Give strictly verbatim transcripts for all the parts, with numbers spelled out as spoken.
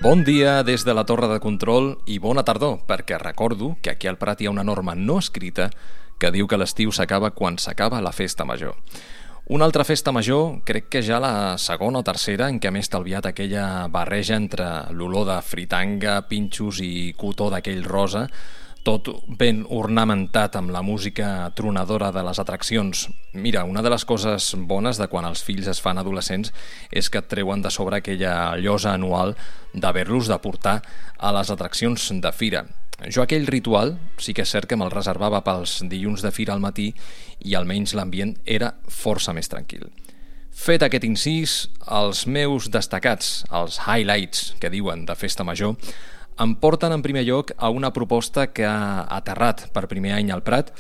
Bon dia des de la Torre de Control i bona tardor, perquè recordo que aquí al Prat hi ha una norma no escrita que diu que l'estiu s'acaba quan s'acaba la festa major. Una altra festa major, crec que ja la segona o tercera, en què m'he estalviat aquella barreja entre l'olor de fritanga, pinxos i cotó d'aquell rosa, tot ben ornamentat amb la música tronadora de les atraccions. Mira, una de les coses bones de quan els fills es fan adolescents és que et treuen de sobre aquella llosa anual d'haver-los de portar a les atraccions de fira. Jo aquell ritual sí que és cert que me'l reservava pels dilluns de fira al matí i almenys l'ambient era força més tranquil. Fet aquest incís, els meus destacats, els highlights que diuen de festa major, em porten en primer lloc a una proposta que ha aterrat per primer any al Prat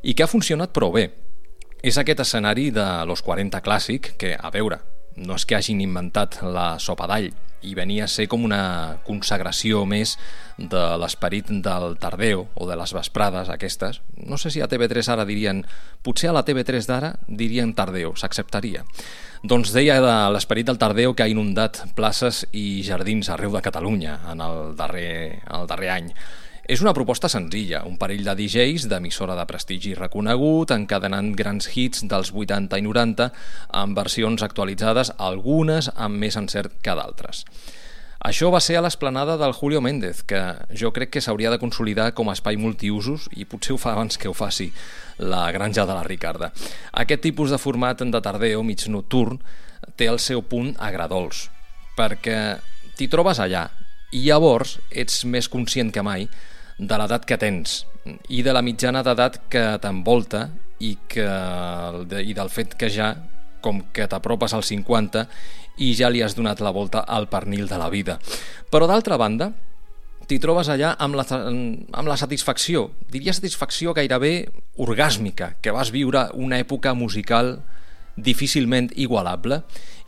i que ha funcionat prou bé. És aquest escenari de Los quaranta clàssic que, a veure, no és que hagin inventat la sopa d'all i venia a ser com una consagració més de l'esperit del tardeo o de les vesprades aquestes. No sé si a T V tres ara dirien... Potser a la T V tres d'ara dirien tardeo, s'acceptaria. Doncs deia de l'esperit del tardeo que ha inundat places i jardins arreu de Catalunya en el darrer, el darrer any. És una proposta senzilla, un parell de D Js d'emissora de prestigi reconegut, encadenant grans hits dels vuitanta i noranta amb versions actualitzades, algunes amb més encert que d'altres. Això va ser a l'esplanada del Julio Méndez, que jo crec que s'hauria de consolidar com a espai multiusos i potser ho fa abans que ho faci la Granja de la Ricarda. Aquest tipus de format de tardeo mig nocturn té el seu punt agradols, perquè t'hi trobes allà i llavors ets més conscient que mai de l'edat que tens i de la mitjana d'edat que t'envolta i, que, i del fet que ja, com que t'apropes als cinquanta i ja li has donat la volta al pernil de la vida. Però d'altra banda, t'hi trobes allà amb la, amb la satisfacció, diria satisfacció gairebé orgàsmica, que vas viure una època musical difícilment igualable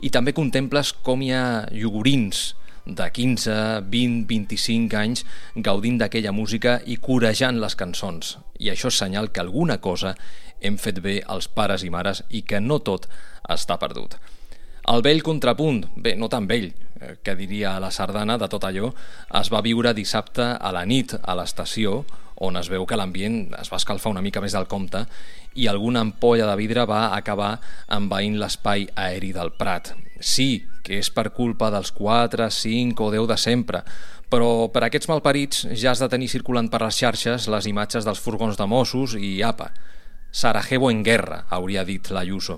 i també contemples com hi ha iogurins de quinze, vint, vint-i-cinc anys gaudint d'aquella música i corejant les cançons. I això és senyal que alguna cosa hem fet bé els pares i mares i que no tot està perdut. El vell contrapunt, bé, no tan vell, que diria la sardana de tot allò, es va viure dissabte a la nit a l'estació, on es veu que l'ambient es va escalfar una mica més del compte i alguna ampolla de vidre va acabar envaint l'espai aeri del Prat. Sí, que és per culpa dels quatre, cinc o deu de sempre, però per aquests malparits ja has de tenir circulant per les xarxes les imatges dels furgons de Mossos i apa, Sarajevo en guerra, hauria dit l'Ayuso.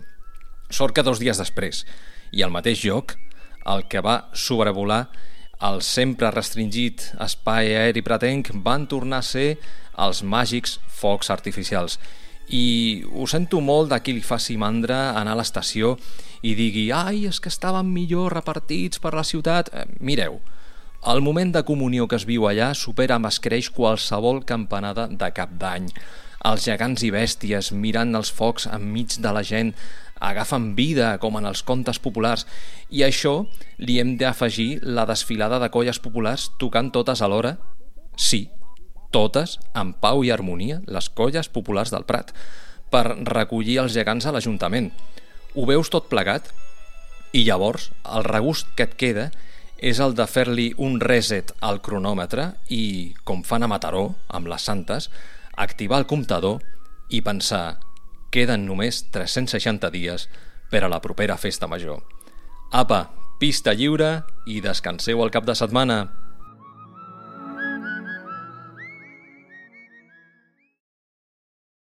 Sort que dos dies després, i al mateix lloc, el que va sobrevolar el sempre restringit espai aeri pratenc van tornar a ser els màgics focs artificials. I ho sento molt de qui li faci mandra anar a l'estació i digui «Ai, és que estaven millor repartits per la ciutat». Eh, mireu, el moment de comunió que es viu allà supera amb escreix qualsevol campanada de cap d'any. Els gegants i bèsties mirant els focs enmig de la gent agafen vida com en els contes populars i a això li hem d'afegir la desfilada de colles populars tocant totes alhora? Sí, totes en pau i harmonia, les colles populars del Prat, per recollir els gegants a l'Ajuntament. Ho veus tot plegat? I llavors el regust que et queda és el de fer-li un reset al cronòmetre i, com fan a Mataró, amb les Santes, activar el comptador i pensar queden només tres-cents seixanta dies per a la propera festa major. Apa, pista lliure i descanseu el cap de setmana.